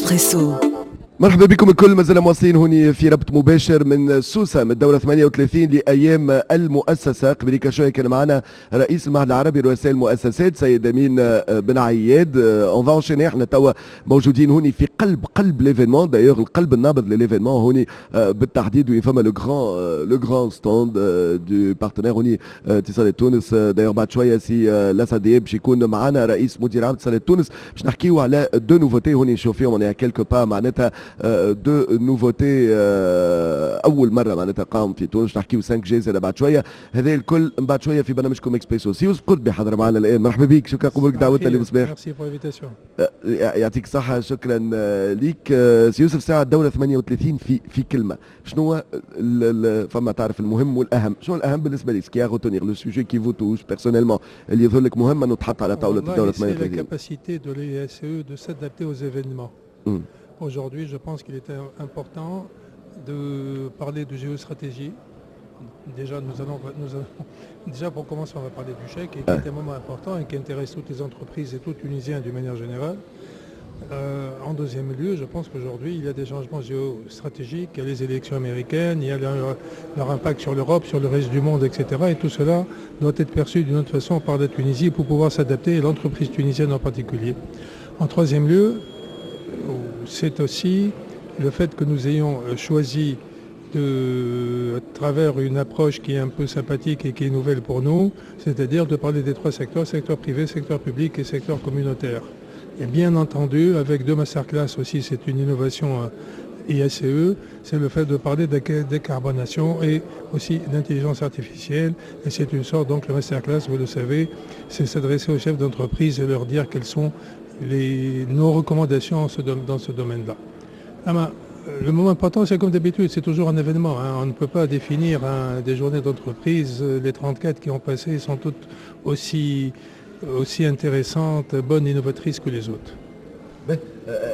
اكسبريسو. مرحبا بكم الكل، مازلنا مواصلين هوني في ربط مباشر من سوسة من الدورة 38 لأيام المؤسسة. قبل شوية كان معنا رئيس المعهد العربي لرؤساء المؤسسات سيد أمين بن عياد. on va enchaîner، احنا توا موجودين هوني في قلب قلب l'événement، d'ailleurs القلب النابض ل l'événement هوني بالتحديد، وين فما le grand stand du partenaire هوني اتصالات تونس. d'ailleurs بعد شوية سي لاسعد باش يكون معنا رئيس مدير عام اتصالات تونس باش نحكيو على deux nouveautés هوني نشوف فيهم، on est à quelques pas معناتها deux nouveautés اول مرة معناتها قام في تونس. نحكيو 5G زاد بعد شويه. هذا الكل من بعد شوية في برنامجكم اكسبريسو. سي يوسف قربي حضر معنا الان، مرحبا بك، شكرا قبولك دعوتنا اليوم صباح. merci pour l'invitation. يعطيك الصحه، شكرا ليك سي يوسف. ساعة الدولة 38، في كلمه، شنو فما تعرف المهم والاهم؟ شنو الاهم بالنسبة لك، ce qui est à retenir، le sujet qui vous touche personnellement، اللي يظهر لك مهم انه تحط على طاولة الدولة 38؟ la capacité de l'IACE de s'adapter aux événements. Aujourd'hui, je pense qu'il était important de parler de géostratégie. Déjà, déjà pour commencer, on va parler du chèque, et qui est un moment important et qui intéresse toutes les entreprises et tout Tunisiens d'une manière générale. En deuxième lieu, je pense qu'aujourd'hui, il y a des changements géostratégiques, il y a les élections américaines, il y a leur impact sur l'Europe, sur le reste du monde, etc. Et tout cela doit être perçu d'une autre façon par la Tunisie pour pouvoir s'adapter, et l'entreprise tunisienne en particulier. En troisième lieu, c'est aussi le fait que nous ayons choisi à travers une approche qui est un peu sympathique et qui est nouvelle pour nous, c'est-à-dire de parler des trois secteurs, secteur privé, secteur public et secteur communautaire. Et bien entendu, avec deux masterclass aussi, c'est une innovation IACE, c'est le fait de parler de décarbonation et aussi d'intelligence artificielle. Et c'est une sorte, donc le masterclass, vous le savez, c'est s'adresser aux chefs d'entreprise et leur dire quelles sont nos recommandations dans ce domaine-là. أما le moment important, c'est comme d'habitude, c'est toujours un événement, hein. On ne peut pas définir, hein, des journées d'entreprise. Les 34 qui ont passé sont toutes aussi intéressantes, bonnes, innovatrices que les autres.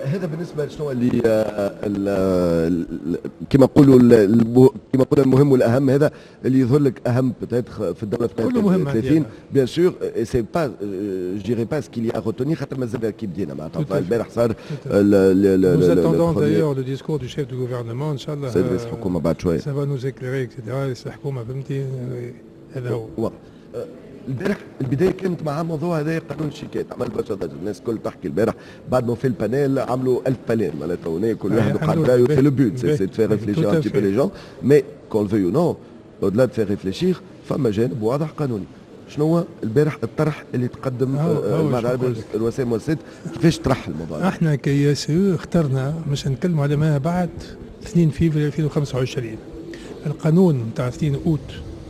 هذا بالنسبة لشنو اللي كما نقولوا المهم والاهم، هذا اللي يظهر لك اهم peut-être في الدورة كله مهم. 30، bien sûr c'est pas، je dirais pas ce qu'il y a à retenir، خاطر مازال كي بدينا معناتها، البارح صار. Nous attendons d'ailleurs le discours du chef du gouvernement، ان شاء الله. سيد رئيس الحكومة بعد شويه. Ça va nous éclairer etc. رئيس الحكومه، فهمتي، هذا هو. البارح البداية كانت مع موضوع هذا قانون الشيكات، عمل برشا ضجه، الناس الكل تحكي. البارح بعد ما في ال panel عملوا 1000 panel، معناتها هنا كل واحد وقعد رايه. c'est le but، c'est de faire réfléchir un petit peu les gens، mais qu'on le veuille ou non، au-delà de faire réfléchir، فما جانب واضح قانوني. شنو هو البارح الطرح اللي تقدم مع الرؤساء المؤسسات؟ كيفاش طرح الموضوع؟ احنا ك IACE اخترنا مش نتكلموا على ما بعد 2 فيفري 2025، القانون نتاع 2 اوت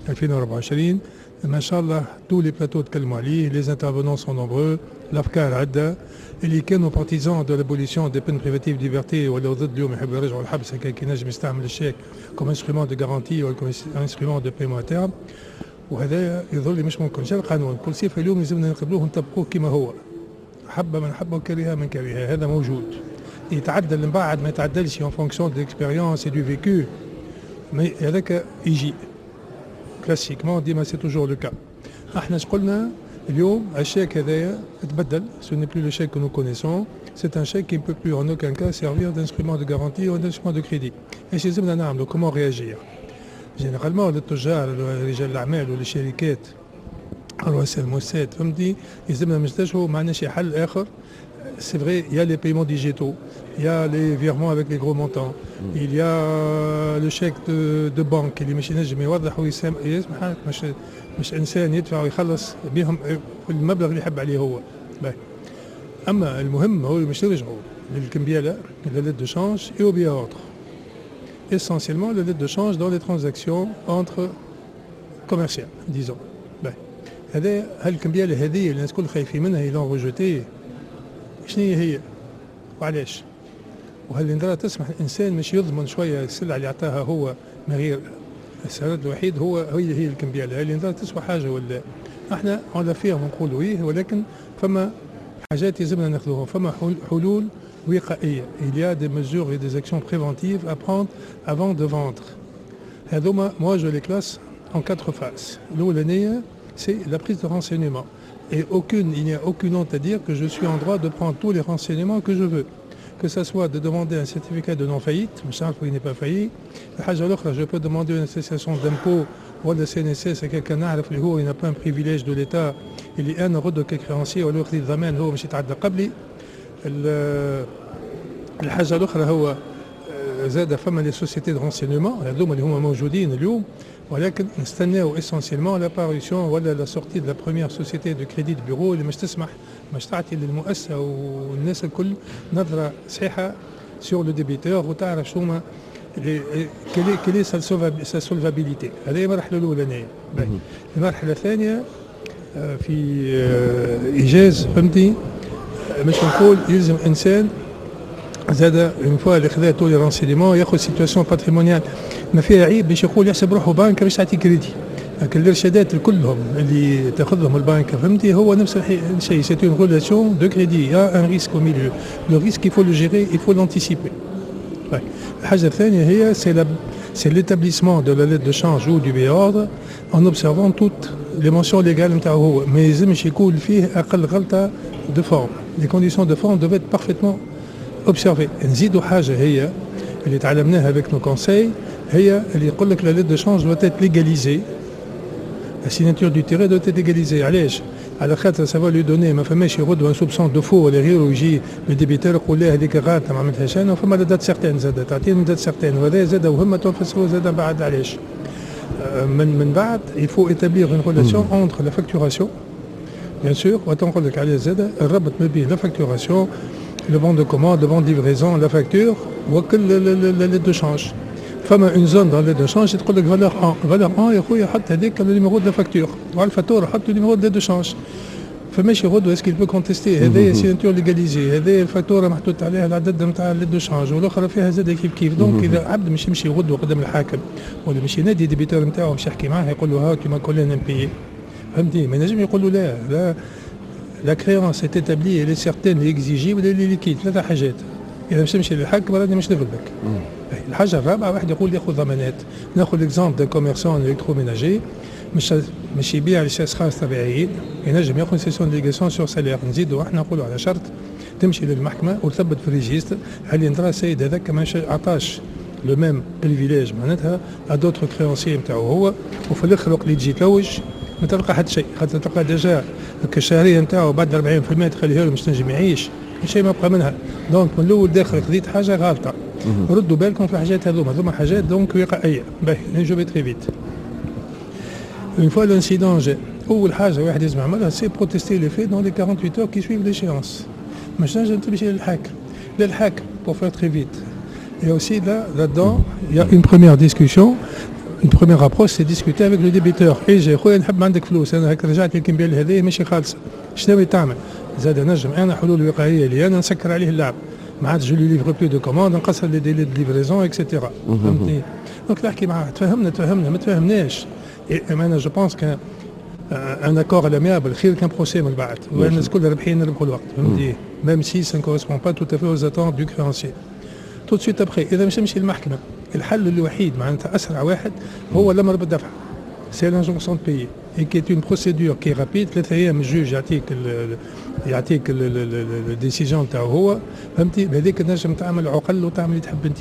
2024. ما شاء الله tous les plateaux تكلموا عليه، les intervenants sont nombreux، الافكار عده. اللي كانوا partisans de l'abolition des peines privatives de liberté ولا ضد، اليوم يحبوا يرجعوا الحبس هكا كي نجم يستعمل الشيك comme instrument de garantie ولا comme instrument de paiement à terme، وهذا يظهر لي مش ممكن. جا القانون كل صفه، اليوم لازمنا نقبلوه ونطبقوه كما هو، حب من حب وكره من كره. هذا موجود، يتعدل من بعد، ما يتعدلش en fonction de l'expérience et du vécu، mais هذاك يجي classiquement ديما، c'est toujours le cas. احنا اش قلنا اليوم؟ الشيك هذايا تبدل، ce n'est plus le chèque que nous connaissons، c'est un chèque qui ne peut plus en aucun cas servir d'instrument de garantie ou d'instrument de crédit. ايش لازمنا نعملوا؟ comment réagir؟ généralement للتجار، رجال الاعمال والشركات، رؤساء المؤسسات، فهمتني، يلزمنا نتجهوا، ما عندناش حل اخر. C'est vrai, il y a les paiements digitaux, il y a les virements avec les gros montants, il y a le chèque de banque اللي مش ينجم يوضح ويسمح، مش انسان يدفع ويخلص بهم المبلغ اللي يحب عليه هو. باهي. اما المهم هو مش نرجعوا للكمبياله، la lettre de change et au billet à ordre. Essentiellement la lettre de change dans les transactions entre commerciales, disons. باهي. هذا هالكمبياله هذه اللي الناس الكل خايفين منها، ils l'ont rejetée، شنو هي هي وعلاش؟ وهل الإدارة تسمح الإنسان مش يضمن شوية السلعة اللي عطاها هو من غير السند الوحيد هو هي الكمبيالة؟ هل الإدارة تسوى حاجة ولا احنا on l'affirme نقولوا إيه، ولكن فما حاجات يلزمنا ناخذوها، فما حلول وقائية. il y a des mesures et des actions préventives à prendre avant de vendre. هذوما moi je les classe en quatre phases. الأولانية c'est la prise de renseignements. Et il n'y a aucune honte à dire que je suis en droit de prendre tous les renseignements que je veux. que ça soit de demander un certificat de non-faillite باش نعرفوا il n'est pas failli. الحاجة الاخرى، je peux demander une attestation d'impôt ولا CNSS، هكاك نعرف اللي هو n'a pas un privilège de l'État، اللي انا غدوه ك créancier ولا خذيت ضمان هو مش يتعدى قبلي. الحاجة الاخرى هو زاد فما les sociétés de renseignement هذوما اللي هما موجودين اليوم، ولكن نستناو essentiellement la parution ولا la sortie de la première société de crédit de bureau اللي مش تسمح، مش تعطي للمؤسسه والناس الكل نظره صحيحه sur le débiteur وتعرف شو ما quelle est sa solvabilité. هذه المرحلة الاولانيه. المرحلة الثانيه، في ايجاز، فهمتني، مش نقول يلزم انسان زاد une fois اللي خذا tous les renseignements ياخذ situation patrimoniale، ما فيها عيب باش يقول يحسب روحه بنك باش تعطي كريدي. لكن الارشادات كلهم اللي تاخذهم البنك، فهمتي، هو نفس الشيء، c'est une relation de crédit، y a un risque au milieu، le risque il faut le gérer، il faut l'anticiper. الحاجة الثانية هي c'est l'établissement de la lettre de change ou du billet ordre en observant toutes les mentions légales نتاعو. هو ما يلزمش يكون فيه اقل غلطه de forme، les conditions de forme doivent être parfaitement observées. نزيدوا حاجة هي اللي تعلمناها avec nos conseils، هي اللي يقول لك la lettre de change doit être légalisée، la signature du tiré doit être légalisée. علاش؟ على خاطر ça va lui donner، ما فماش غدوه un soupçon de faux ولا غيره، يجي le débiteur يقول لا هذيك غلطه ما عملتهاش انا. وفما la date certaine زاد، تعطيني date certaine، وهذا زاد وهم تنفسروا زاد بعد علاش. من بعد il faut établir une relation entre la facturation bien sûr، وتنقول لك عليه زاد الربط ما بين la facturation، le bon de commande، le bon de livraison، la facture وكل la lettre de change. فما une zone dans lettre de change تقول لك valeur 1، valeur 1 يا خويا حط هذيك ال numéro de facture، وعلى الفاتورة حط ال numéro de change. فماشي غدوه est-ce qu'il peut contester؟ هذايا signature légalisée، هذايا الفاتورة محطوط عليها العدد نتاع lettre de change، والاخرى فيها زاد كيف كيف. donc اذا عبد مش يمشي غدوه قدام الحاكم ولا مش ينادي débiteur نتاعو باش يحكي معاه، يقول له ها tu m'as collé un impayé، فهمتني، ما ينجم يقول له لا لا، la créance est établie، elle est certaine، exigible، elle est liquide. ثلاثة حاجات، اذا مش تمشي للحاكم راني مش نغلبك. الحاجة الرابعه، واحد يقول ياخذ ضمانات. ناخذ l'exemple d'un commerçant électroménager مش يبيع لاشخاص طبيعيين، ينجم ياخذ cession délégation sur salaire. نزيدوا احنا نقولوا على شرط تمشي للمحكمة وتثبت في ال registre هل يندرى السيد هذاك ما عطاش le même privilège معناتها à d'autres créanciers نتاعو هو، وفي الاخر وقت اللي تجي تلوج ما تلقى حتى شيء، خاطر تلقى déjà الشهرية نتاعو بعد 40% تخليها له مش تنجم يعيش، شيء ما بقى منها. donc من الاول داخل خذيت حاجة غالطه. ردوا بالكم في الحاجات هذوما، هذوما حاجات donc وقائيه. باهي، je vais très vite. une fois l'incident جاء، اول حاجة واحد لازم يعملها c'est protester les faits dans les 48 heures qui suivent l'échéance. مش نجم تمشي للحاكم pour faire très vite. Et aussi là, là-dedans, il y a une première discussion، une première approche، c'est discuter avec le débiteur. اي جاي خويا نحب عندك فلوس، انا هكا رجعت لك الكمبيال هذه ماشي خالصه، شنو تعمل؟ زاد نجم انا حلول وقائيه اللي انا نسكر عليه اللعب، ما عادش je lui livre plus de commandes، نقصر les délais de livraison et cetera، فهمتني؟ donc نحكي معاه، تفهمنا تفهمنا، ما تفهمناش انا je pense qu'un accord à l'amiable خير qu'un procès من بعد، والناس الكل رابحين، نربحوا الوقت، فهمتي، même si ça ne correspond pas tout à fait aux attentes du créancier. tout de suite après، اذا مش نمشي للمحكمه، الحل الوحيد معناتها اسرع واحد هو الامر بالدفع، c'est l'injonction de payer et qui est une procédure qui est rapide. 3 ايام ال juge يعطيك ال décision تاعو هو، فهمتي، بهذيك تنجم تعمل عقل وتعمل اللي تحب انت.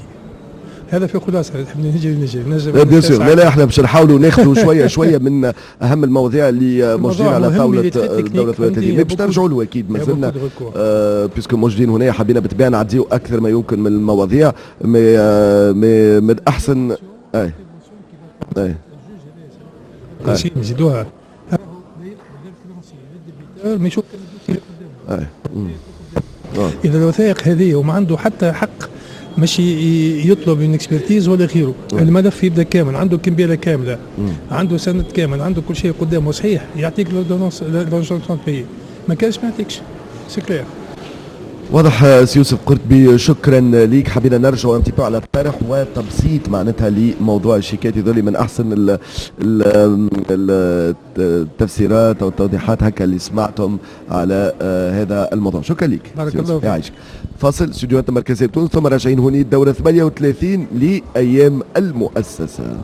هذا في خلاصه، تحب نجري نجري نجم. bien sûr، لا لا، احنا باش نحاولوا ناخذوا شوية شوية من اهم المواضيع اللي موجودين على طاولة الدورة 38، باش نرجعوا له اكيد، مازلنا puisque موجودين هنا، حبينا بالطبيعة نعديو اكثر ما يمكن من المواضيع، mais من احسن اي نزيدوها ما يشوف اذا الوثائق هذه وما عنده حتى حق مش يطلب une expertise ولا غيره. الملف يبدا كامل، عنده كمبياله كامله، عنده سند كامل، عنده كل شيء قدامه صحيح، يعطيك l'injonction de payer، ما كانش ما يعطيكش، c'est clair. واضح سي يوسف قرطبي، شكرا ليك. حبينا نرجع un petit peu على الطرح وتبسيط معناتها لموضوع الشيكات، هذول من احسن ال التفسيرات او التوضيحات هكا اللي سمعتهم على هذا الموضوع. شكرا لك. بارك الله فيك. يعيشك. فاصل، استوديوهات المركزية بتونس، ثم راجعين هوني الدورة 38 لايام المؤسسه.